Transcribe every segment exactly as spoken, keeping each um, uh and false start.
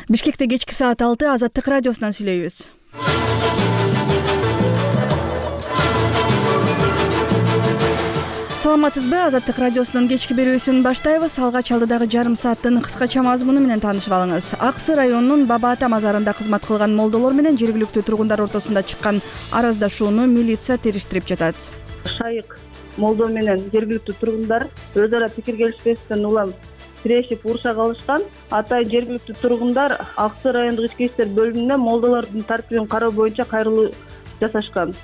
Бишкекте кечки саат алты Азаттык радиосунан сүйлөйбүз. Саламатсызбы? Азаттык радиосунун кечки берүүсүн баштайбыз. Алгач алдыдагы жарым сааттын кыскача мазмуну менен таанышып алыңыз. Аксы районунун Баба Ата мазарында кызмат кылган молдолор менен жергиликтүү тургундар ортосунда чыккан араздашууну милиция териштирип жатат. Шайык молдо менен жергиликтүү тургундар өз ара пикир келишпестен улам тирешип уруша калышкан. Атайын жергиликтүү тургундар Аксы райондук ички иштер бөлүмүнө молдолордун тартибин кароо боюнча кайрылуу жасашкан.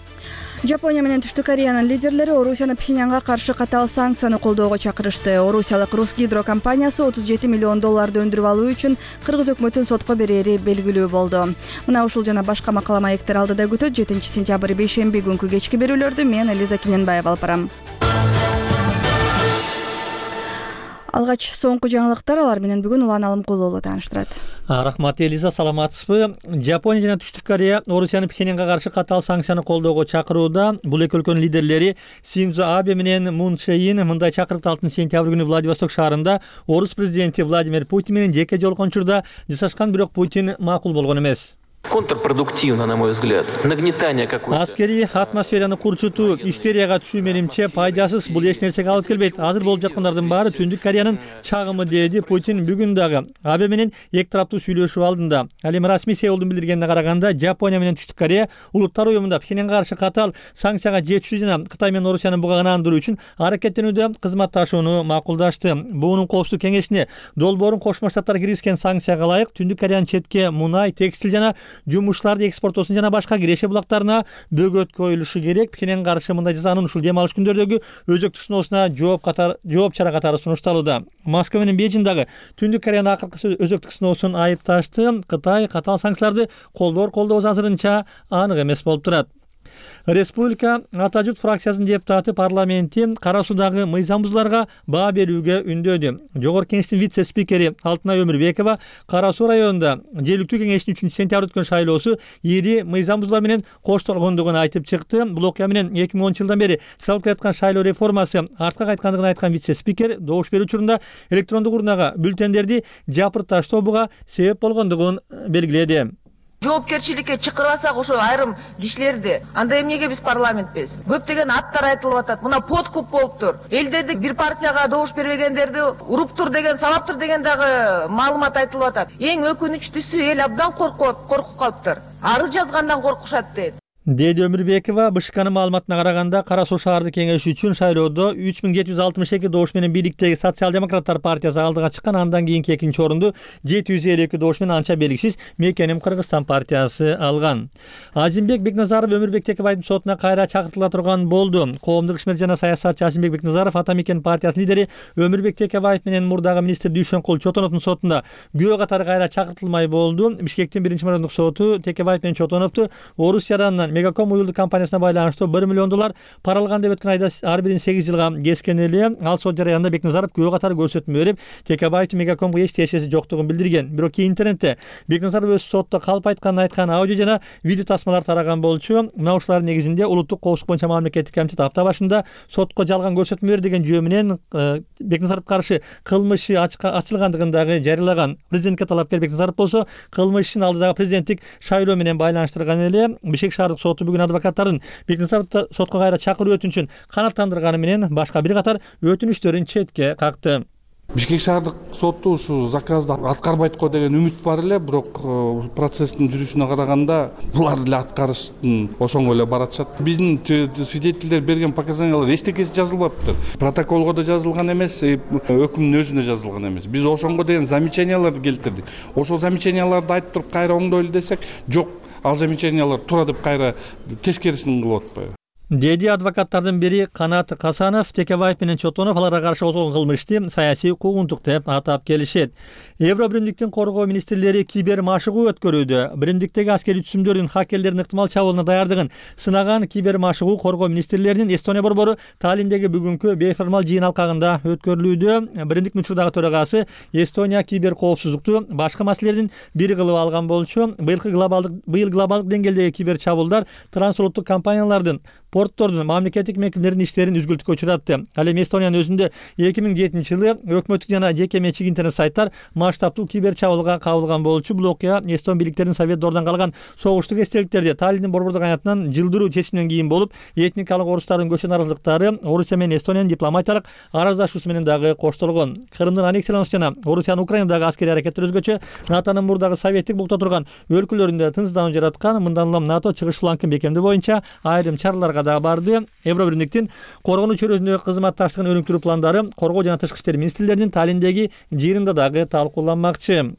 Жапония менен Түштүк Кореянын лидерлери Орусияны Пхеньянга каршы катаал санкцияны колдоого чакырышты. Орусиялык Русгидро компаниясы отуз жети миллион долларды өндүрүп алуу үчүн кыргыз өкмөтүн сотко берери белгилүү болду. Мына ушул жана башка макала маектер алдыда күтөт. жетинчи сентябрь бейшемби күнкү кечки берүүлөрдү мен Элиза Киненбаева алып барам. Алгач соңку жаңылыктар, алар менен бүгүн Улан Алымкулуу тааныштырат. Рахмат Элиза, саламатсызбы? Жапония жана Түштүк Корея Орусияны Пхеньянга каршы катаал санкцияны колдоого чакырууда. Бул эки өлкөнүн лидерлери Синдзо Абе менен Мун Чжэ Ин мындай чакырыкты алтынчы сентябрь күнү Владивосток шаарында Орус президенти Владимир Путин менен жеке жолугушууда жасашкан, бирок Путин макул болгон эмес. Контрпродуктивно, на мой взгляд. Нагнетание какое-то. Аскери атмосфераны курчутуу, истерияга түшүү менимче пайдасыз, бул эч нерсеге алып келбейт. Азыр болуп жаткандардын баары Түндүк Кореянын чагымы, деди Путин бүгүн дагы Абе менен эки тараптуу сүйлөшүү алдында. Ал эми расмий Сеулдун билдиргенине караганда, Жапония менен Түштүк Корея Улуттар уюмунда Пхеньянга каршы катаал санкцияга жетишүү жана Кытай менен Орусияны бугагандыруу үчүн аракеттенүүдө кызматташууну макулдашты. Буунун коопсуздук кеңешине долбоорун Кошмо Штаттар киргизген санкцияга ылайык Түндүк Кореянын четке мунай, текстил жана жумуштарды экспортосун жана башка киреше булактарына бөгөт коюлушу керек. Пхеньянга каршы мындай жазанын ушул дем алыш күндөрдөгү өзөктүк сыноосуна жооп катары жооп чара катары сунушталууда. Москва менен Бейжиң дагы Түндүк Кореянын акыркы өзөктүк сыноосун айыпташты. Кытай катаал санкцияларды колдоор колдобос азырынча анык эмес болуп турат. Республика Ата журт фракциясынын депутаты парламентти Кара Суудагы мыйзам бузууларга баа берүүгө үндөдү. Жогорку кеңештин вице-спикери Алтынай Өмүрбекова Кара Суу районунда жергиликтүү кеңештин үчүнчү сентябрь өткөн шайлоосу ири мыйзам бузуулар менен коштолгондугун айтып чыкты. Бул окуя менен эки миң онунчу жылдан бери салып келаткан шайлоо реформасы артка кайткандыгын айткан вице-спикер добуш берүү учурунда электрондук урнага бюллетендерди жапырташтоого себеп болгондугун белгиледи. Жоопкерчиликке чакырбасак ошо айрым кишилерди, анда эмнеге биз парламентпиз? Көптөгөн аттар айтылып атат. Мына подкуп болуптур. Элдерди бир партияга добуш бербегендерди уруптур деген, сабаптыр деген дагы маалымат айтылып атат. Эң өкүнүчтүүсү эл абдан коркуп, коркуп калыптыр. Арыз жазгандан коркушат дейт. Деди Өмүрбекова БШКнын маалыматына караганда, Кара Суу шаардык кеңеши үчүн шайлоодо үч миң жети жүз алтымыш эки добуш менен бийликтеги Социал-демократтар партиясы алдыга чыккан. Андан кийинки экинчи орунду жети жүз элүү эки добуш менен анча белгисиз Мекеним Кыргызстан партиясы алган. Азимбек Бекназаров Өмүрбек Текебаевдин сотуна кайра чакыртыла турган болду. Коомдук ишмер жана саясатчы Азимбек Бекназаров Ата Мекен партиясынын лидери Өмүрбек Текебаев менен мурдагы министр Дүйшөнкул Чотоновдун сотунда күбө катары кайра чакыртылмай болду. Бишкектин биринчи мамлекеттик соту Текебаев менен Чотоновду Орус жаранынан Мегаком уюлдук компаниясына байланыштуу бир миллион доллар пара алган деп өткөн айда ар бирин сегиз жылга кескен эле. Ал сот жараянында Бекназаров күбө катары көрсөтмө берип, Текебаевдин Мегакомго эч тиешеси жоктугун билдирген. Бирок кийин интернетте Бекназаров өз сотто калп айтканын айткан аудио жана видео тасмалар тараган болчу. Мына ушулардын негизинде улуттук коопсуздук боюнча мамлекеттик комитет апта башында сотко жалган көрсөтмө берди деген жүйө менен Бекназаровго каршы кылмышы ачылгандыгын дагы жарыялаган. Президентке талапкер Бекназаров болсо кылмышын алдыдагы президенттик шайлоо менен байланыштырган эле. Бишкек шаардык соту бүгүн адвокаттардын Бекназаровду сотко кайра чакыруу өтүнүчүн канааттандырганы менен башка бир катар өтүнүчтөрүн четке какты. Бишкек шаардык соту ушу заказды аткарбайт го деген үмүт бар эле, бирок процесстин жүрүшүнө караганда булар деле аткарыштын ошоңо эле баратышат. Биздин свидетелдер берген показаниялар эчтекеси жазылбаптыр. Протоколго да жазылган эмес, өкүмдүн өзүнө жазылган эмес. Биз ошоңго деген замечанияларды келтирдик. Ошол замечанияларды айтып туруп кайра оңдойлу десек, жок, ал замечаниялар туура деп кайра тескерисин кылып атпайбы? Деди адвокаттардын бири Канат Касанов. Текебаев менен Чотонов аларга каршы козголгон кылмышты саясий куугунтук деп атап келишет. Евро биримдиктин коргоо министрлери кибер машыгуу өткөрүүдө. Биримдиктеги аскерий түзүмдөрдүн хакерлердин ыктымал чабуулуна даярдыгын сынаган кибер машыгуу коргоо министрлеринин Эстония борбору Таллиндеги бүгүнкү бейформал жыйын алкагында өткөрүлүүдө. Биримдиктин учурдагы төрагасы Эстония кибер коопсуздукту башкы маселелердин бири кылып алган болчу. Быйыл глобалдык быйыл глобалдык деңгээлдеги кибер чабуулдар трансулуттук компаниялардын Порттордун мамлекеттик мекемелеринин иштерин үзгүлтүккө учуратты. Ал эми Эстониянын өзүндө эки миң жетинчи жылы өкмөттүк жана жеке менчик интернет сайттар масштабдуу кибер чабуулга кабылган болчу. Бул окуя эстон бийликтеринин Совет дордон калган согуштук эстеликтерди Таллиндин борбордук аянтынан жылдыруу чечиминен кийин болуп, этникалык орустардын көчө наразылыктары Орусия менен Эстониянын дипломатиялык араздашуусу менен дагы коштолгон. Крымдын аннексиялануусу жана Орусиянын Украинадагы аскерий аракеттери өзгөчө НАТОнун мурдагы советтик булкта турган өлкөлөрүндө тынчсыздануу жараткан. Мындан улам НАТО чыгыш флангын бекемдөө боюнча айрым чараларга дагы барды. Евробиримдиктин коргонуу чөйрөсүндөгү кызматташтыгын өнүктүрүү пландары коргоо жана тышкы иштер министрлеринин Таллиндеги жыйынында дагы талкууланмакчы.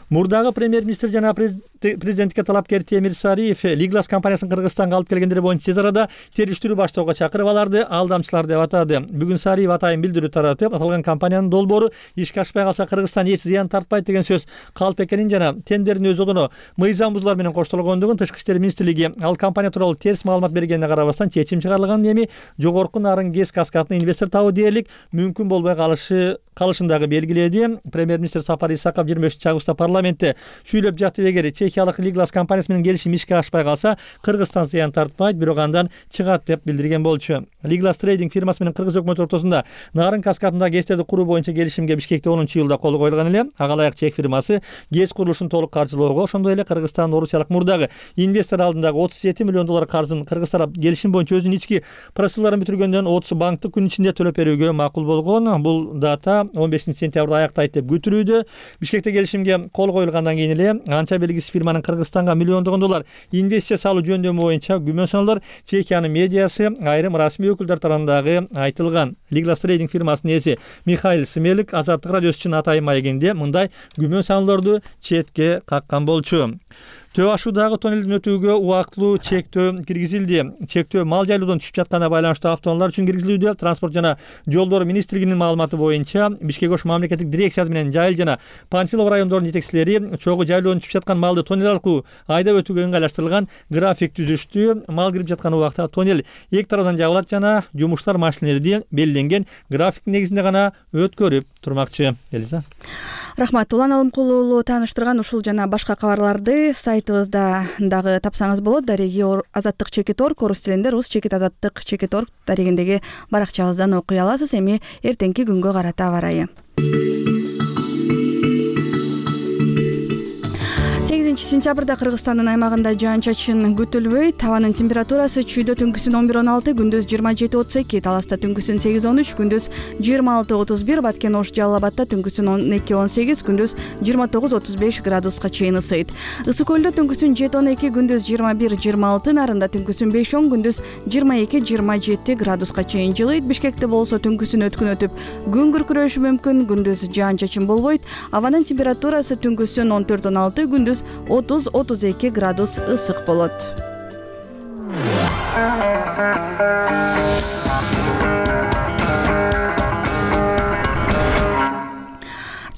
Мурдагы премьер-министр жана президентке талапкер Темир Сариев Лиглас компаниясын Кыргызстанга алып келгендери боюнча тез арада териштирүү баштоого чакырып, аларды алдамчылар деп атады. Бүгүн Сариев атайын билдирүү таратып, аталган компаниянын долбоору ишке ашпай калса Кыргызстан эч зыян тартпайт деген сөз калп экенин жана тендердин өз одоно мыйзам бузуулар менен коштолгондугун Тышкы иштер министрлиги ал компания тууралуу терс маалымат бергенине карабастан чечим чыгарылганын, эми жогорку нарын гэс каскадына инвестор табуу дээрлик мүмкүн болбой калышы калышын дагы белгиледи. Премьер-министр Сапар Исаков жыйырма бешинчи августта парламентте сүйлөп жатып, эгер чехиялык Лиглас компаниясы менен келишим ишке ашпай калса Кыргызстан зыян тартпайт, бирок андан чыгат деп билдирген болчу. Лиглас трейдинг фирмасы менен Кыргыз өкмөтү ортосунда нарын каскадындагы гэстерди куруу боюнча келишимге Бишкекте онунчу жылда кол коюлган эле. Ага ылайык чех фирмасы гэс курулушун толук каржылоого, ошондой эле Кыргызстан Орусиялык мурдагы инвестор алдындагы отуз жети миллион доллар каржын Кыргыз тарап келишим боюнча өзүнүн ички процедураларын бүтүргөндөн отуз банктык күн ичинде төлөп берүүгө макул болгон. Бул дата он бешинчи сентябрда аяктайт деп күтүлүүдө. Бишкекте келишимге кол коюлгандан кийин эле анча белгисиз фирманын Кыргызстанга миллиондогон доллар инвестиция салуу жөндөмү боюнча күмөн саноолор Чехиянын медиасы, айрым расмий өкүлдөр тарабындагы айтылган. Лиглас трейдинг фирмасынын ээси Михаил Смелик Азаттык радиосу үчүн атайын маегинде мындай күмөн саноолорду четке каккан болчу. Төө ашуудагы тоннелдин өтүүгө убактылуу чектөө киргизилди. Чектөө мал жайлоодон түшүп жатканына байланыштуу автоунаалар үчүн киргизилүүдө. Транспорт жана жолдор министрлигинин маалыматы боюнча Бишкек ош мамлекеттик дирекциясы менен Жайыл жана Панфилов райондорунун жетекчилери чогуу жайлоодон түшүп жаткан малды тоннель аркылуу айдап өтүүгө ыңгайлаштырылган график түзүштү. Мал кирип жаткан убакта тоннель эки тарабдан жабылат жана жумуштар машинелерди белгиленген графиктин негизинде гана өткөрүп турмакчы. Элиза. Рахмат. Улан Алымкулуу тааныштырган ушул жана башка кабарларды сайтыбызда дагы тапсаңыз болот. Дареги Азаттык чекит точка орг, орус тилинде рус чекит азаттык чекит точка орг дарегиндеги баракчабыздан окуй аласыз. Эми эртеңки күнгө карата аба ырайы. сегизинчи сентябрда Кыргызстандын аймагында жаан-чачын күтүлбөйт. Табанын температурасы чүйдө түнкүсүн он бир он алты, күндүз жыйырма жети отуз эки, Таласта түнкүсүн сегиз он үч, күндүз жыйырма алты отуз бир, Баткен Ош Жалал Абадта түнкүсүн он эки он сегиз, күндүз жыйырма тогуз отуз беш градуска чейин ысыйт. Ысык көлдө түнкүсүн жети он эки, күндүз жыйырма бир жыйырма алты, Нарында түнкүсүн беш он, күндүз жыйырма эки жыйырма жети градуска чейин жылыйт. Бишкекте болсо түнкүсүн өткүн өтүп күн күркүрөшү мүмкүн, күндүз жаан-чачын болбойт. Абанын температурасы түнкүсүн он төрт он алты, күндүз отуз отуз эки градус ысык болот.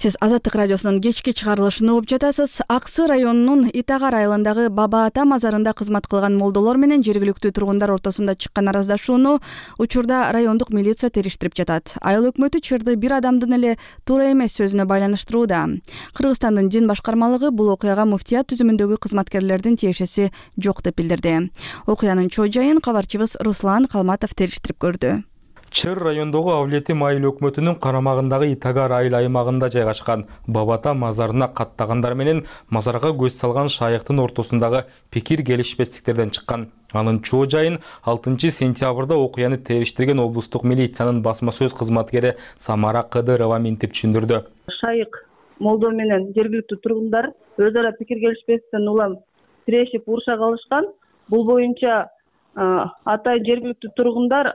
Сиз Азаттык радиосунун кечки чыгарылышын угуп жатасыз. Аксы районунун Итагар айылындагы Баба Ата мазарында кызмат кылган молдолор менен жергиликтүү тургундар ортосунда чыккан араздашууну учурда райондук милиция териштирип жатат. Айыл өкмөтү чырды бир адамдын эле туура эмес сөзүнө байланыштырууда. Кыргызстандын дин башкармалыгы бул окуяга муфтият түзүмүндөгү кызматкерлердин тиешеси жок деп билдирди. Окуянын чоо жайын кабарчыбыз Руслан Калматов териштирип көрдү. Чыр райондогу Авлетим айыл өкмөтүнүн карамагындагы Итагар айыл аймагында жайгашкан Бабата мазарына каттагандар менен мазарга көз салган шайыктын ортосундагы пикир келишпестиктерден чыккан. Анын чоо жайын алтынчы сентябрда окуяны териштирген облустук милициянын басма сөз кызматкери Самара Кыдырова минтип түшүндүрдү. Шайык молдо менен жергиликтүү тургундар өз ара пикир келишпестиктен улам тирешип уруша калышкан. Бул боюнча атайын жергиликтүү тургундар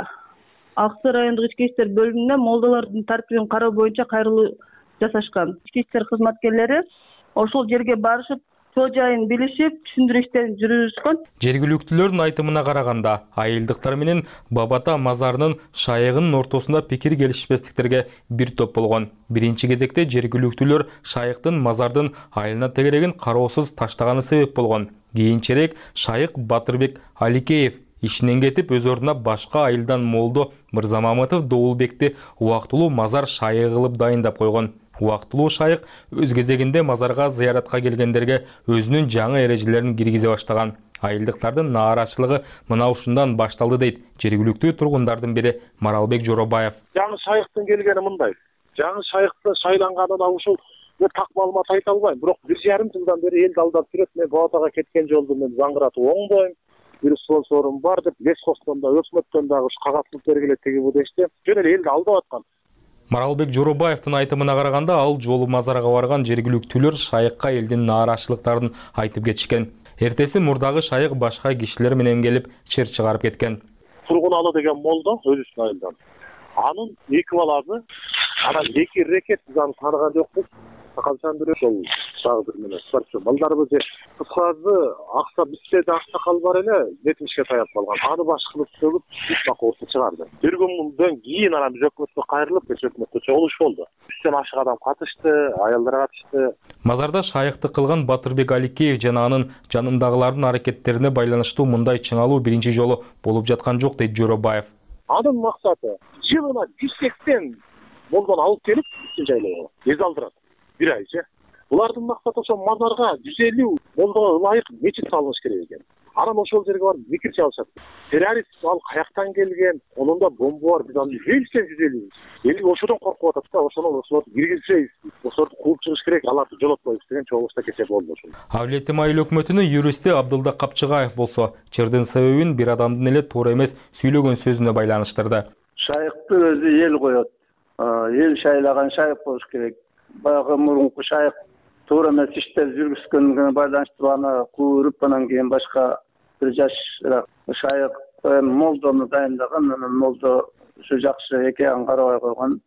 Аксы райондук ички иштер бөлүмүнө молдолордун тартибин кароо боюнча кайрылуу жасашкан. Ички иштер кызматкерлери ошол жерге барышып, чоо жайын билишип, түшүндүрүү иштерин жүргүзүшкөн. Жергиликтүүлөрдүн айтымына караганда, айылдыктар менен Бабата мазарынын шайыгынын ортосунда пикир келишпестиктерге бир топ болгон. Биринчи кезекте жергиликтүүлөр шайыктын мазардын айылына тегерегин кароосуз таштаганы себеп болгон. Кийинчерээк шайык Батырбек Аликеев ишинен кетип, өз ордуна башка айылдан молдо Мырзамамытов Доулбекти убактылуу мазар шайыгы кылып дайындап койгон. Убактылуу шайык өз кезегинде мазарга зыяратка келгендерге өзүнүн жаңы эрежелерин киргизе баштаган. Айылдыктардын нааразычылыгы мына ушундан башталды дейт жергиликтүү тургундардын бири Маралбек Жоробаев. Жаңы шайыктын келгени мындай. Жаңы шайыкты шайланганына ушул так маалымат айта албайм, бирок бир жарым жылдан бери элди алдап жүрөт. Мен Бабатага кеткен жолду мен заңгыратып оңдойм. Бир спонсорум бар деп, лескостон да, өкмөттөн дагы ушу кагаз кылып бергиле теги бу дешти. Жөн эле элди алдап аткан. Маралбек Жоробаевдин айтымына караганда, ал жолу мазарга барган жергиликтүүлөр шайыкка элдин нааразычылыктарын айтып кетишкен. Эртеси мурдагы шайык башка кишилер менен келип чыр чыгарып кеткен. Тургуналы деген молдо өзүнүн айылдан. Анын эки баласы, анан эки рекет биз аны тааныган жокпуз. Калчан бирөө ошол шагыр менен спортчу балдарыбыз же кыскасы акса бизде да аксакал бар эле жетимишке таяп калган. Аны баш кылып сөгүп үч бакоосу чыгарды. Биргөндөн кийин анан биз өкмөткө кайрылып, биз өкмөткө чогулуш болду. Үчтөн ашык адам катышты, аялдар катышты. Мазарда шайыкты кылган Батырбек Аликеев жана анын жанындагылардын аракеттерине байланыштуу мындай чыңалуу биринчи жолу болуп жаткан жок дейт Жоробаев. Анын максаты жылына жүз сексен молдон алып келип, үчүнчү айлыгы эз алдырат. Бир айчы. Булардын максаты ошо мазарга жүз элүү молдого ылайык мечит салыныш керек экен. Анан ошол жерге барып микир чалышат. Террорист ал каяктан келген, онун да бомба бар, биз аны билсек жүз элүү. Эл ошодон коркуп атат да, ошону ошолорду киргизбейбиз. Ошолорду кууп чыгыш керек, аларды жолотпойбуз деген чогулушта кече болду ошол. Авлетим айыл өкмөтүнүн юристи Абдылда Капчыгаев болсо, чырдын себебин бир адамдын эле туура эмес сүйлөгөн сөзүнө байланыштырды. Шайыкты өзү эл коет. Эл шайлаган шайык болуш керек. Баягы мурунку шайык туура эмес иштер жүргүзгөнгө байланыштырып аны кууруп, анан кийин башка бир жашыраак шайык молдону дайындаган, анан молдо ушу жакшы экенин карабай койгон,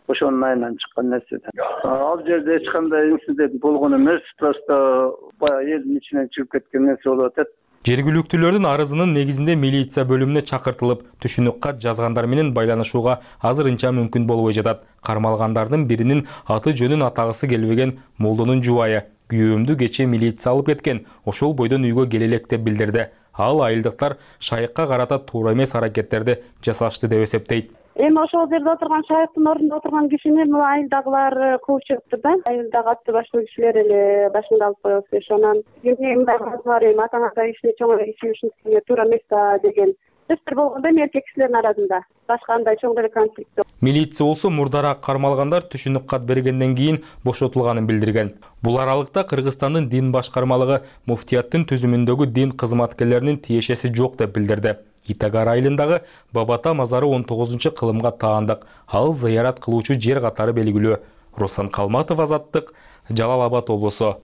ошонун айынан чыккан нерсе. Ал жерде эч кандай инцидент болгон эмес, просто баягы элдин ичинен чыгып кеткен нерсе болуп атат. Жергиликтүүлөрдүн арызынын негизинде милиция бөлүмүнө чакыртылып, түшүнүк кат жазгандар менен байланышууга азырынча мүмкүн болбой жатат. Кармалгандардын биринин аты жөнүн атагысы келбеген молдонун жубайы күйөөмдү кече милиция алып кеткен, ошол бойдон үйгө келе элек деп билдирди. Ал айылдыктар шайыкка карата туура эмес аракеттерди жасашты деп эсептейт. Эми ошол жерде отурган шайыктын ордунда отурган кишини мына айылдагылар кууп чыгыптыр да. Айылдагы атты баштуу кишилер эле башында алып коебуз деши, анан эмне бар эми атаңата ишини чоң иши ушинтип туура эмес да деген сөздөр болгондо эми эркек кишилердин арасында. Башка андай чоң деле конфликт жок. Милиция болсо мурдараак кармалгандар түшүнүк кат бергенден кийин бошотулганын билдирген. Бул аралыкта Кыргызстандын дин башкармалыгы муфтияттын түзүмүндөгү дин кызматкерлеринин тиешеси жок деп билдирди. Итагар айылындагы Бабата мазары он тогузунчу кылымга таандык. Ал зыярат кылуучу жер катары белгилүү. Руслан Калматов, Азаттык, Жалал Абад облусу.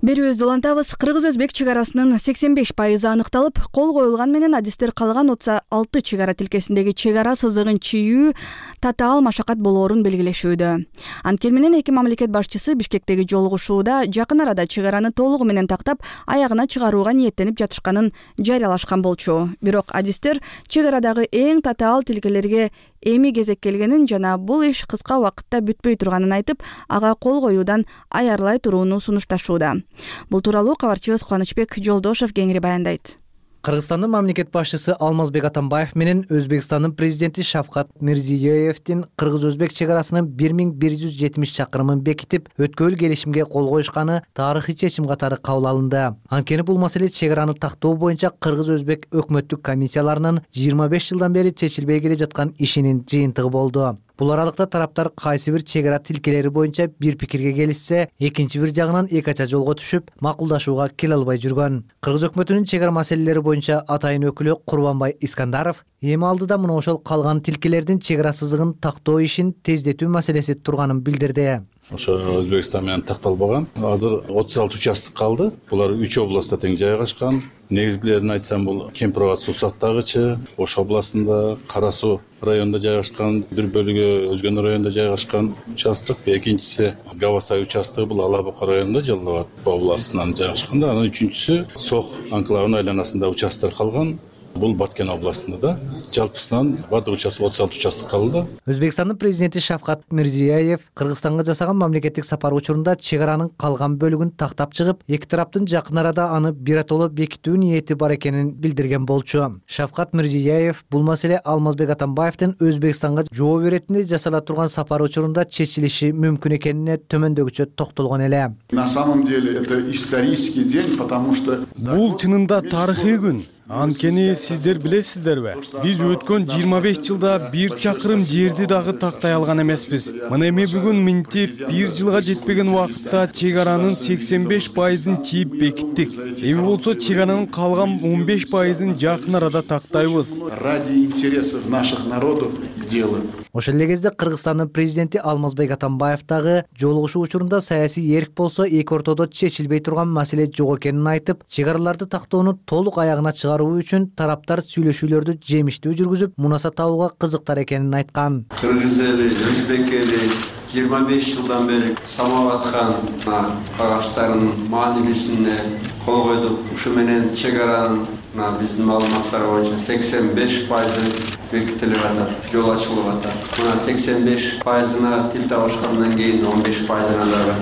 Берүүбүздү улантабыз. Кыргыз-өзбек чек арасынын сексен беш пайызы аныкталып, кол коюлган менен адистер калган отуз алты чек ара тилкесиндеги чек ара сызыгын чийүү татаал машакат болоорун белгилешүүдө. Анткени менен эки мамлекет башчысы Бишкектеги жолугушууда жакын арада чек араны толугу менен тактап, аягына чыгарууга ниеттенип жатышканын жарыялашкан болчу. Бирок адистер чек арадагы эң татаал тилкелерге эми кезек келгенин жана бул иш кыска убакытта бүтпөй турганын айтып, ага кол коюудан аярлай турууну сунушташууда. Бул тууралуу кабарчыбыз Кубанычбек Жолдошев кеңири баяндайт. Кыргызстандын мамлекет башчысы Алмазбек Атамбаев менен Өзбекстандын президенти Шавкат Мирзиёевдин кыргыз-өзбек чек арасынын бир миң бир жүз жетимиш чакырымын бекитип, өткөл келишимге кол коюшканы тарыхый чечим катары кабыл алынды. Анткени бул маселе чек араны тактоо боюнча кыргыз-өзбек өкмөттүк комиссияларынын жыйырма беш жылдан бери чечилбей келе жаткан ишинин жыйынтыгы болду. Бул аралыкта тараптар кайсы бир чек ара тилкелери боюнча бир пикирге келишсе, экинчи бир жагынан эки ача жолго түшүп, макулдашууга келе албай жүргөн. Кыргыз өкмөтүнүн чек ара маселелери боюнча атайын өкүлү Курбанбай Искандаров эми алдыда мына ошол калган тилкелердин чек ара сызыгын тактоо ишин тездетүү маселеси турганын билдирди. Ошо Өзбекстан менен такталбаган. Азыр отуз алты участок калды. Булар үч областта тең жайгашкан. Негизгилерин айтсам, бул Кемпирабад суу сактагычы, Ош областында, Кара суу районунда жайгашкан, бир бөлүгү Өзгөн районунда жайгашкан участок. Экинчиси Гавасай участогу, бул Ала Бука районунда, Жалал Абад областынан жайгашкан. Анан үчүнчүсү Сох анклавынын айланасында участок калган. Бул Баткен областында да жалпысынан бардык участок отуз алты участок калды. Өзбекстандын президенти Шавкат Мирзиёев Кыргызстанга жасаган мамлекеттик сапар учурунда чек аранын калган бөлүгүн тактап чыгып, эки тараптын жакын арада аны биротоло бекитүү ниети бар экенин билдирген болчу. Шавкат Мирзиёев бул маселе Алмазбек Атамбаевдин Өзбекстанга жооп беретинде жасала турган сапар учурунда чечилиши мүмкүн экенине төмөндөгүчө токтолгон эле. На самом деле это исторический день, потому что бул чынында тарыхый күн. Анткени сиздер билесиздерби, биз өткөн жыйырма беш жылда бир чакырым жерди дагы тактай алган эмеспиз. Мына эми бүгүн минтип бир жылга жетпеген убакытта чек аранын сексен беш пайызын чийип бекиттик. Эми болсо чек аранын калган он беш пайызын жакын арада тактайбыз. Ради интересов наших народов делаем. Ошол эле кезде Кыргызстандын президенти Алмазбек Атамбаев дагы жолугушуу учурунда саясий эрк болсо эки ортодо чечилбей турган маселе жок экенин айтып, чек араларды тактоону толук аягына чыгаруу үчүн тараптар сүйлөшүүлөрдү жемиштүү жүргүзүп, мунаса табууга кызыктар экенин айткан. Кыргыз эли, өзбек эли жыйырма беш жылдан бери самап аткан кагаштардын маанилүүсүнө кол койдук. Ушу менен чек аранын биздин маалыматтар боюнча сексен беш пайызы бекитилип атат, жол ачылып атат. Мына сексен беш пайызына тил табышкандан кийин он беш пайызына дагы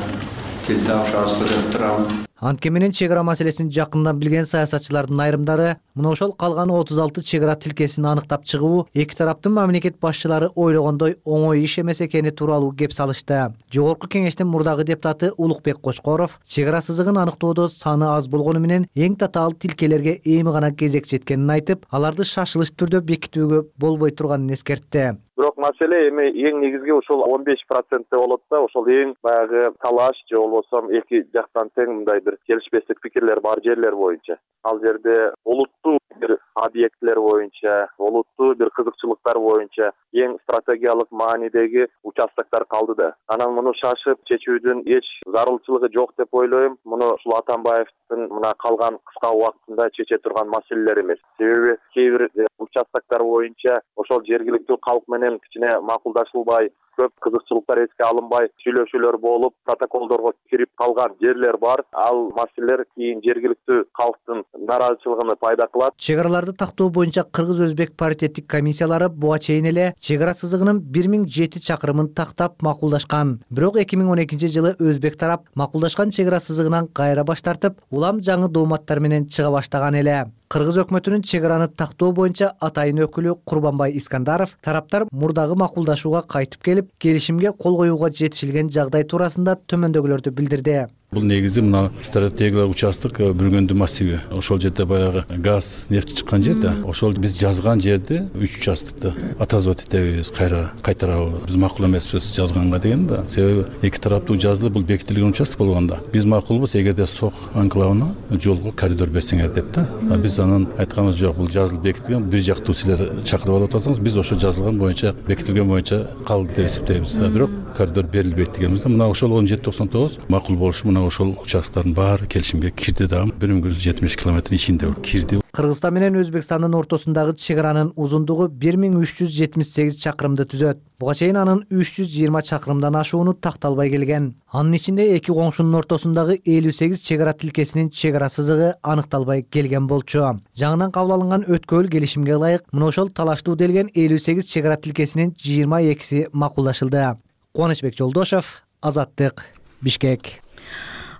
тил табышабызды деп турам. Антке менен чек ара маселесин жакындан билген саясатчылардын айрымдары мына ошол калган отуз алты чек ара тилкесин аныктап чыгуу эки тараптын мамлекет башчылары ойлогондой оңой иш эмес экени тууралуу кеп салышты. Жогорку кеңештин мурдагы депутаты Улукбек Кочкоров чек ара сызыгын аныктоодо саны аз болгону менен эң татаал тилкелерге эми гана кезек жеткенин айтып, аларды шашылыш түрдө бекитүүгө болбой турганын эскертти. Бирок маселе эми эң негизги ошол он беш процентте болот да, ошол эң баягы талаш же болбосо эки жактан тең мындай бир келишпестик пикирлер бар жерлер боюнча. Ал жерде олуттуу бир объектлер боюнча, олуттуу бир кызыкчылыктар боюнча эң стратегиялык маанидеги участоктор калды да. Анан муну шашып чечүүдүн эч зарылчылыгы жок деп ойлойм. Муну ушул Атамбаевдин мына калган кыска убактында чече турган маселелер эмес. Себеби кээ бир участоктор боюнча ошол жергиликтүү калк менен кичине макулдашылбай, көп кызыкчылыктар эске алынбай, сүйлөшүүлөр болуп, протоколдорго кирип калган жерлер бар. Ал маселелер кийин жергиликтүү калктын нараазычылыгын пайда кылат. Чек араларды тактоо боюнча Кыргыз-Өзбек паритеттик комиссиялары буга чейин эле чек ара сызыгынын бир миң жети чакырымын тактап макулдашкан. Бирок эки миң он экинчи жылы Өзбек тарап макулдашкан чек ара сызыгынан кайра баш тартып, улам жаңы дооматтар менен чыга баштаган эле. Кыргыз өкмөтүнүн чек араны тактоо боюнча атайын өкүлү Курбанбай Искандаров тараптар мурдагы макулдашууга кайтып келип, келишимге кол коюуга жетишилген жагдай туурасында төмөндөгүлөрдү билдирди. Бул негизи мына стратегиялык участок Бүргөндү массиви. Ошол жерде баягы газ, нефть чыккан жерде, ошол биз жазган жерде үч участокты отозвать этебиз, кайра кайтарабыз. Биз макул эмеспиз жазганга деген да. Себеби эки тараптуу жазылып бул бекитилген участок болгондо биз макулбуз эгерде Сок анклавына жолго коридор берсеңер деп да. Биз анан айтканыбыз жок, бул жазылып бекитилген, бир жактуу силер чакырып алып атасыңыз, биз ошо жазылган боюнча, бекитилген боюнча калды деп эсептейбиз. Бирок коридор берилбейт дегенбиз да. Мына ошол он жети токсон тогуз макул болушу ошол участоктордун баары келишимге кирди дагы. бир миң жүз жетимиш километр ичинде кирди. Кыргызстан менен Өзбекстандын ортосундагы чек аранын узундугу бир миң үч жүз жетимиш сегиз чакырымды түзөт. Буга чейин анын үч жүз жыйырма чакырымдан ашууну такталбай келген. Анын ичинде эки коңшунун ортосундагы элүү сегиз чек ара тилкесинин чек ара сызыгы аныкталбай келген болчу. Жаңыдан кабыл алынган өткөл келишимге ылайык мына ошол талаштуу делген элүү сегиз чек ара тилкесинин жыйырма экиси макулдашылды. Кубанычбек Жолдошев, Азаттык, Бишкек.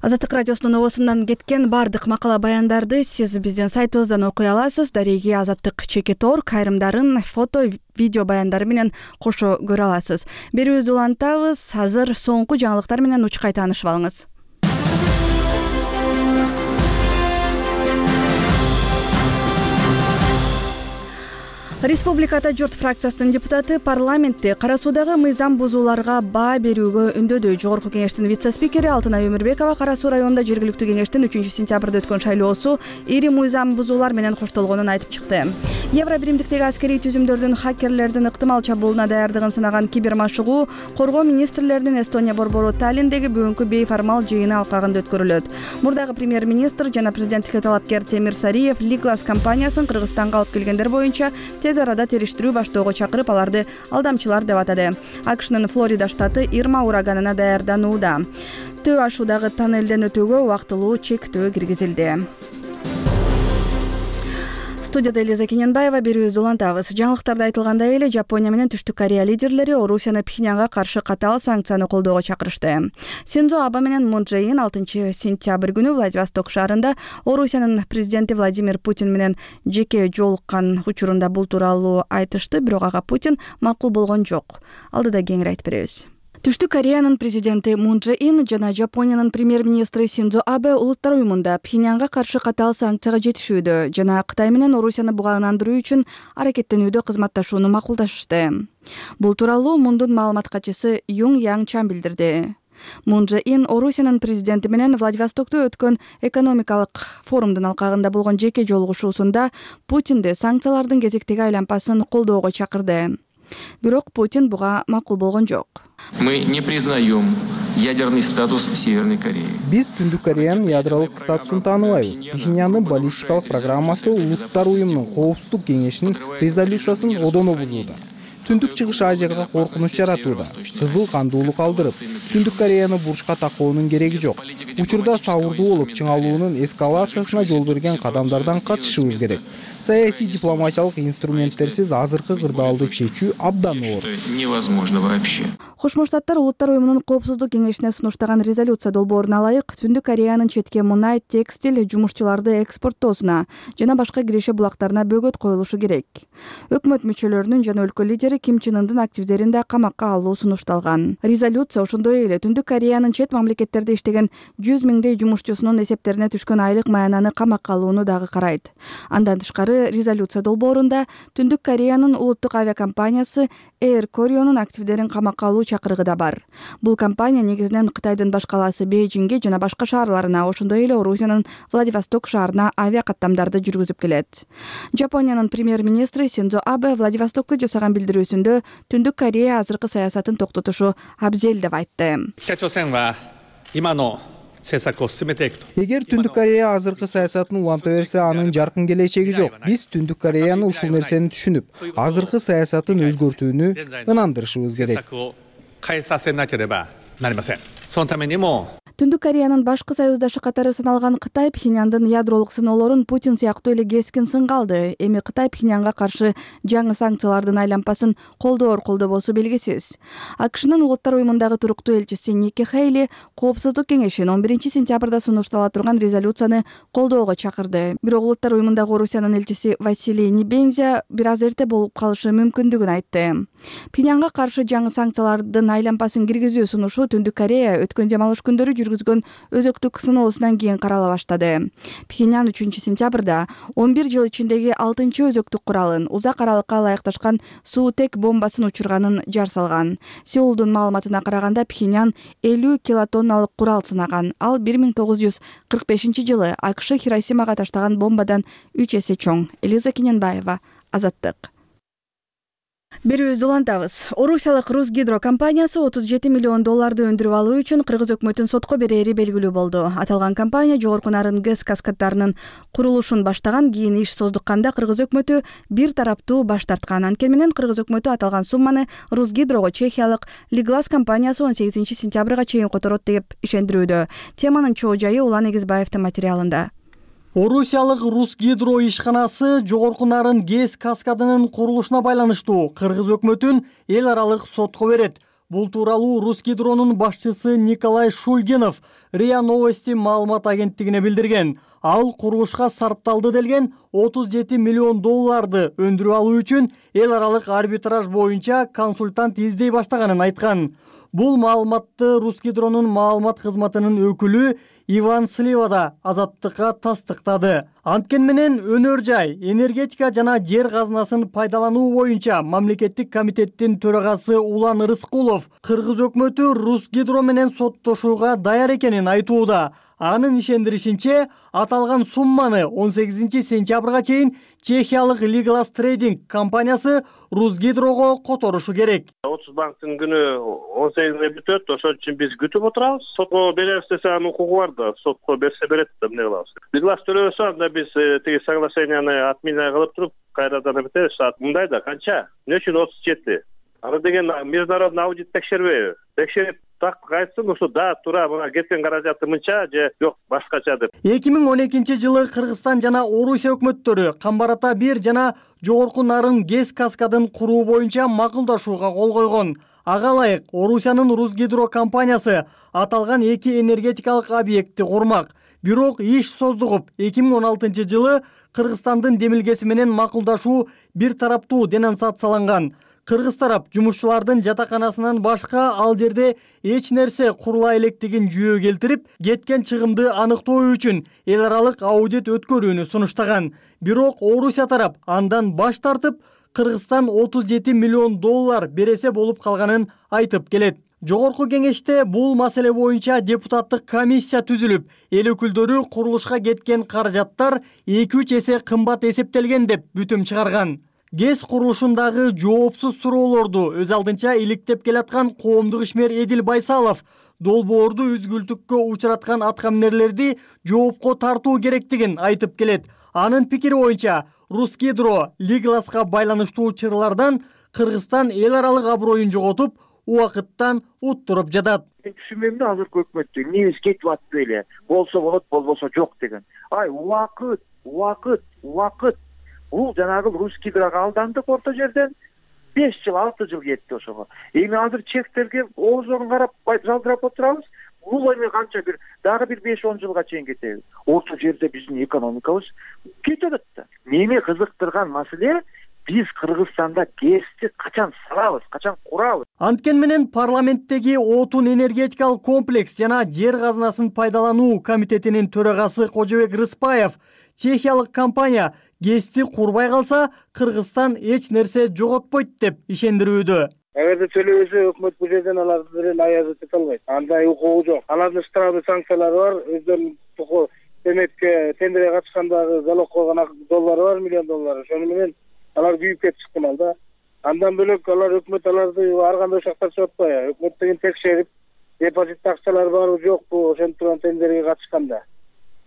Азаттык радиосунун обосунан кеткен бардык макала баяндарды сиз биздин сайтыбыздан окуй аласыз. Дареги Азаттык чекит точка орг айрымдарын фото, видео баяндары менен кошо көрө аласыз. Берүүбүздү улантабыз. Азыр соңку жаңылыктар менен учкай таанышып алыңыз. Республикада журт фракциясынын депутаты парламентте кара суудагы мыйзам бузууларга баа берүүгө үндөдү. Жогорку кеңештин вице-спикери Алтынай Өмүрбекова Кара Суу районунда жергиликтүү кеңештин үчүнчү сентябрда өткөн шайлоосу ири мыйзам бузуулар менен коштолгонун айтып чыкты. Евро биримдиктеги аскерий түзүмдөрдүн хакерлердин ыктымал чабуулуна даярдыгын сынаган кибермашыгуу коргоо министрлеринин Эстония борбору Таллиндеги бүгүнкү бейформал жыйыны алкагында өткөрүлөт. Мурдагы премьер-министр жана президенттикке талапкер Темир Сариев Лиглас компаниясын Кыргызстанга алып келгендер боюнча тез арада териштирүү баштоого чакырып, аларды алдамчылар деп атады. АКШнын Флорида штаты Ирма ураганына даярданууда. Төө ашуудагы тоннелден өтүүгө убактылуу чектөө киргизилди. Студияда Элиза Кененбаева, берүүбүздү улантабыз. Жаңылыктарда айтылгандай эле Жапония менен Түштүк Корея лидерлери Орусияны Пхеньянга каршы катаал санкцияны колдоого чакырышты. Синдзо Абе менен Мун Чже Ин алтынчы сентябрь күнү Владивосток шаарында Орусиянын президенти Владимир Путин менен жеке жолуккан учурунда бул тууралуу айтышты, бирок ага Путин макул болгон жок. Алдыда кеңири айтып беребиз. Түштүк Кореянын президенти Мун Чже Ин жана Жапониянын премьер-министри Синдзо Абе Улуттар уюмунда Пхеньянга каршы катаал санкцияга жетишүүдө жана Кытай менен Орусияны бугандыруу үчүн аракеттенүүдө кызматташууну макулдашышты. Бул тууралуу Мундун маалымат катчысы Юң Яң Чан билдирди. Мун Чже Ин Орусиянын президенти менен Владивостокто өткөн экономикалык форумдун алкагында болгон жеке жолугушуусунда Путинди санкциялардын кезектеги айланпасын колдоого чакырды. Бирок Путин буга макул болгон жок. Мы не признаем ядерный статус Северной Кореи. Биз Түндүк Кореянын ядролук статусун тааныбайбыз. Пхеньяндын баллистикалык программасы Улуттар уюмунун коопсуздук кеңешинин резолюциясын одоно бузууда. Түндүк Чыгыш Азияга коркунуч жаратууда. Кызыл кандуулук алдырып, Түндүк Кореяны бурчка такоонун кереги жок. Учурда сабырдуу болуп, чыңалуунун эскалациясына жол берген кадамдардан качышыбыз керек. Саясий дипломатиялык инструменттерсиз азыркы кырдаалды чечүү абдан оор. Невозможно вообще. Кошмо Штаттар Улуттар уюмунун коопсуздук кеңешине сунуштаган резолюция долбооруна ылайык Түндүк Кореянын четке мунай, текстиль, жумушчуларды экспорттоосуна жана башка киреше булактарына бөгөт коюлушу керек. Өкмөт мүчөлөрүнүн жана өлкө лидери Ким Чен Ындын активдерин да камакка алуу сунушталган. Резолюция ошондой эле Түндүк Кореянын чет мамлекеттерде иштеген жүз миңдей жумушчусунун эсептерине түшкөн айлык маянаны камакка алууну дагы карайт. Андан тышкары резолюция долбоорунда Түндүк Кореянын улуттук авиакомпаниясы Air Koreanын активдерин камакка алуу чакырыгы да бар. Бул компания негизинен Кытайдын баш калаасы Бейжиңге жана башка шаарларына, ошондой эле Орусиянын Владивосток шаарына авиакаттамдарды жүргүзүп келет. Жапониянын премьер-министри Синдзо Абе Владивостокко жасаган билдирүүсүндө Түндүк Корея азыркы саясатын токтотушу абзел деп айтты. Эгер Түндүк Корея азыркы саясатын уланта берсе, анын жаркын келечеги жок. Биз Түндүк Кореяны ушул нерсени түшүнүп, азыркы саясатын өзгөртүүнү ынандырышыбыз керек. Түндүк Кореянын башкы союздашы катары саналган Кытай Пхеньяндын ядролук сыноолорун Путин сыяктуу эле кескин сынга алды. Эми Кытай Пхеньянга каршы жаңы санкциялардын айланпасын колдоор колдобосу белгисиз. АКШнын Улуттар уюмундагы туруктуу элчиси Ники Хейли коопсуздук кеңешин он биринчи сентябрда сунуштала турган резолюцияны колдоого чакырды. Бирок Улуттар уюмундагы Орусиянын элчиси Василий Небензя бир аз эрте болуп калышы мүмкүндүгүн айтты. Пхеньянга каршы жаңы санкциялардын айланпасын киргизүү сунушу Түндүк Корея өткөн дем алыш күндөрү жүргүзгөн өзөктүк сыноосунан кийин карала баштады. Пхеньян үчүнчү сентябрда он бир жыл ичиндеги алтынчы өзөктүк куралын, узак аралыкка ылайыкташкан суутек бомбасын учурганын жар салган. Сеулдун маалыматына караганда Пхеньян элүү килотонналык курал сынаган. Ал бир миң тогуз жүз кырк бешинчи жылы АКШ Хиросимага таштаган бомбадан үч эсе чоң. Элиза Кененбаева, Азаттык. Берүүбүздү улантабыз. Орусиялык Русгидро компаниясы отуз жети миллион долларды өндүрүп алуу үчүн кыргыз өкмөтүн сотко берери белгилүү болду. Аталган компания жогорку нарын ГЭС каскаддарынын курулушун баштаган, кийин иш создукканда кыргыз өкмөтү бир тараптуу баш тарткан. Анткени менен кыргыз өкмөтү аталган сумманы Русгидрого чехиялык Лиглас компаниясы он сегизинчи сентябрга чейин которот деп ишендирүүдө. Теманын чоо жайы Улан Эгизбаевдин материалында. Орусиялык Русгидро ишканасы жогорку нарын ГЭС каскадынын курулушуна байланыштуу кыргыз өкмөтүн эл аралык сотко берет. Бул тууралуу Русгидронун башчысы Николай Шульгинов РИА Новости маалымат агенттигине билдирген. Ал курулушка сарпталды делген отуз жети миллион долларды өндүрүп алуу үчүн эл аралык арбитраж боюнча консультант издей баштаганын айткан. Бул маалыматты Русгидронун маалымат кызматынын өкүлү Иван Слива да Азаттыкка тастыктады. Анткени менен өнөр жай, энергетика жана жер казынасын пайдалануу боюнча мамлекеттик комитеттин төрагасы Улан Рыскулов кыргыз өкмөтү Русгидро менен соттошууга даяр экенин айтууда. Анын ишендиришинче, аталган сумманы он сегизинчи сентябрга чейин чехиялык Лиглас Трейдинг компаниясы Русгидрого которушу керек. отуз банктын күнү он сегизинде бүтөт, ошон үчүн биз күтүп отурабыз. Сотко беребиз десе анын укугу бар да, сотко берсе берет да, эмне кылабыз. Лиглас төлөбөсө анда биз тиги соглашенияны отмена кылып туруп кайрадан эметебиз. Мындай да канча? Эмне үчүн отуз жети? Аны деген международный аудит текшербейби? Текшерип так айтсын ошо да туура мына кеткен каражаты мынча же жок башкача деп. эки миң он экинчи жылы Кыргызстан жана Орусия өкмөттөрү Камбар Ата бир жана Жогорку Нарын ГЭС каскадын куруу боюнча макулдашууга кол койгон. Ага ылайык Орусиянын Русгидро компаниясы аталган эки энергетикалык объектти курмак. Бирок иш создугуп эки миң он алтынчы жылы Кыргызстандын демилгеси менен макулдашуу бир тараптуу денонсацияланган. Кыргыз тарап жумушчулардын жатаканасынан башка ал жерде эч нерсе курула электигин жүйө келтирип, кеткен чыгымды аныктоо үчүн эл аралык аудит өткөрүүнү сунуштаган. Бирок Орусия тарап андан баш тартып, Кыргызстан отуз жети миллион доллар бересе болуп калганын айтып келет. Жогорку кеңеште бул маселе боюнча депутаттык комиссия түзүлүп, эл өкүлдөрү курулушка кеткен каражаттар эки үч эсе кымбат эсептелген деп бүтүм чыгарган. ГЭС курулушундагы жоопсуз суроолорду өз алдынча иликтеп келаткан коомдук ишмер Эдил Байсалов долбоорду үзгүлтүккө учураткан аткаминерлерди жоопко тартуу керектигин айтып келет. Анын пикири боюнча Русгидро Лигласка байланыштуу чырлардан Кыргызстан эл аралык аброюн жоготуп, убакыттан уттуруп жатат. Мен түшүнбөйм да азыркы өкмөттү. Эмнебиз кетип атты эле. Болсо болот, болбосо жок деген. Ай, убакыт, убакыт, убакыт. Бул жанагы Русгидрога алдандык орто жерден беш жыл, алты жыл кетти ошого. Эми азыр чектерге оозорун карап жалдырап отурабыз. Бул эми канча бир дагы бир беш он жылга чейин кетеби. Орто жерде биздин экономикабыз кетет да. Мени кызыктырган маселе биз Кыргызстанда ГЭСти качан салабыз, качан курабыз? Анткени менен парламенттеги отун энергетикалык комплекс жана жер казынасын пайдалануу комитетинин төрагасы Кожобек Рыспаев чехиялык компания ГЭСти курбай калса, Кыргызстан эч нерсе жоготпойт деп ишендирүүдө. Эгерде төлөбөсө өкмөт бул жерден аларды деле аязат эте албайт. Андай укугу жок. Алардын штраф санкциялары бар. Өздөрүнүн эметке тендерге катышкандагы залог койгон доллары бар, миллион доллары. Ошону менен алар күйүп кетип чыккан да. Андан бөлөк алар өкмөт аларды ар кандай шактар чоготпой. Өкмөт деген текшерип, депозит акчалары барбы жокпу, ошентип тендерге катышканда.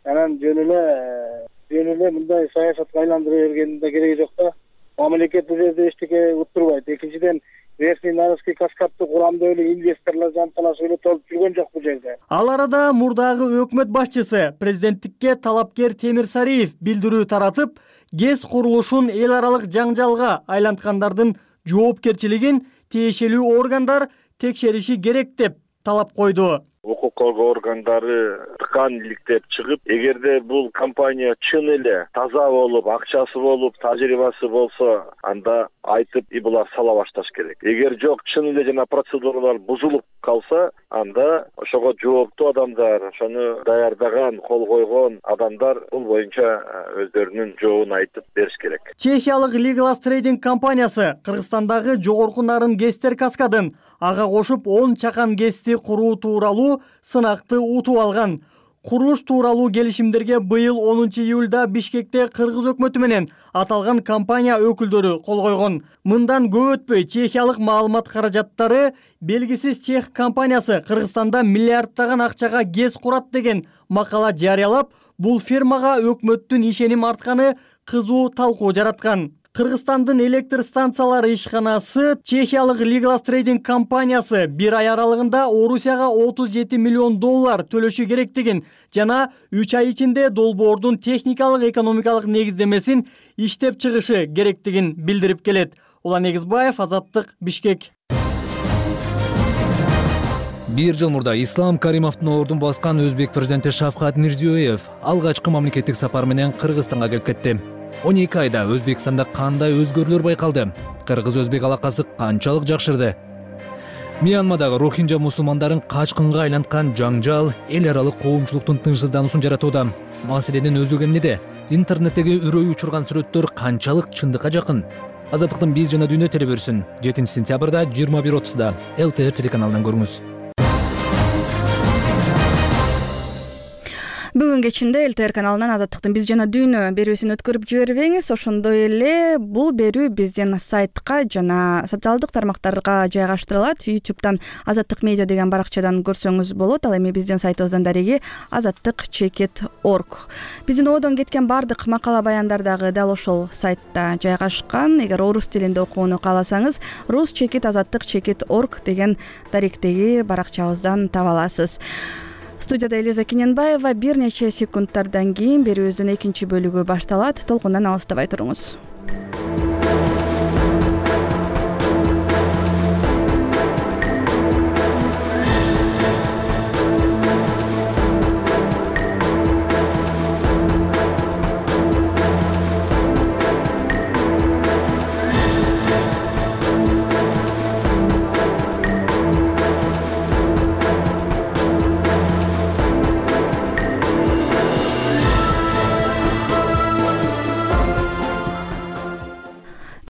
Анан жөн эле жөн эле мындай саясатка айландыра бергенин да кереги жок да. Мамлекет бул жерде эчтеке уттурбайт. Экинчиден Верхний Нарынский каскадты курамда эле инвесторлор жанталашып эле толуп жүргөн жок бул жерде. Ал арада мурдагы өкмөт башчысы президенттикке талапкер Темир Сариев билдирүү таратып, ГЭС курулушун эл аралык жаңжалга айланткандардын жоопкерчилигин тиешелүү органдар текшериши керек деп талап койду. Укук коргоо органдары тыкан иликтеп чыгып, эгерде бул компания чын эле таза болуп, акчасы болуп, тажрыйбасы болсо, анда айтып и булар сала башташ керек. Эгер жок, чын эле жана процедуралар бузулуп калса, анда ошого жооптуу адамдар, ошону даярдаган, кол койгон адамдар бул боюнча өздөрүнүн жообун айтып бериш керек. Чехиялык Лиглас трейдинг компаниясы Кыргызстандагы Жогорку Нарын ГЭСтер каскадын ага кошуп он чакан ГЭСти куруу тууралуу сынакты утуп алган. Курулуш тууралуу келишимдерге быйыл онунчу июлда Бишкекте Кыргыз өкмөтү менен аталган компания өкүлдөрү кол койгон. Мындан көп өтпөй чехиялык маалымат каражаттары белгисиз чех компаниясы Кыргызстанда миллиардтаган акчага ГЭС курат деген макала жарыялап, бул фирмага өкмөттүн ишеним артканы кызуу талкуу жараткан. Кыргызстандын электр станциялары ишканасы чехиялык Лиглас трейдинг компаниясы бир ай аралыгында Орусияга отуз жети миллион доллар төлөшү керектигин жана үч ай ичинде долбоордун техникалык экономикалык негиздемесин иштеп чыгышы керектигин билдирип келет. Улан Эгизбаев, Азаттык, Бишкек. Бир жыл мурда Ислам Каримовдун ордун баскан өзбек президенти Шавкат Мирзиёев алгачкы мамлекеттик сапар менен Кыргызстанга келип кетти. он эки айда Өзбекстанда кандай өзгөрүүлөр байкалды? Кыргыз-өзбек алакасы канчалык жакшырды? Мьянмадагы рохинджа мусулмандарын качкынга айланткан жаңжал эл аралык коомчулуктун тынчсыздануусун жаратууда. Маселенин өзү эмнеде? Интернеттеги үрөй учурган сүрөттөр канчалык чындыкка жакын? Азаттыктын биз жана дүйнө телеберүүсүн жетинчи сентябрда жыйырма бир отузда эл тэ эр телеканалынан көрүңүз. Бүгүн кечинде эл тэ эр каналынан Азаттыктын биз жана дүйнө берүүсүн өткөрүп жибербеңиз. Ошондой эле бул берүү биздин сайтка жана социалдык тармактарга жайгаштырылат. ютубтан Азаттык медиа деген баракчадан көрсөңүз болот. Ал эми биздин сайтыбыздан дареги азаттык чекит точка орг. Биздин одон кеткен бардык макала баяндар дагы дал ошол сайтта жайгашкан. Эгер орус тилинде окууну кааласаңыз, рус чекит азаттык чекит точка орг деген даректеги баракчабыздан таба аласыз. Студияда Элиза Кененбаева. Бир нече секундтардан кийин берүүбүздүн экинчи бөлүгү башталат. Толкундан алыстабай туруңуз.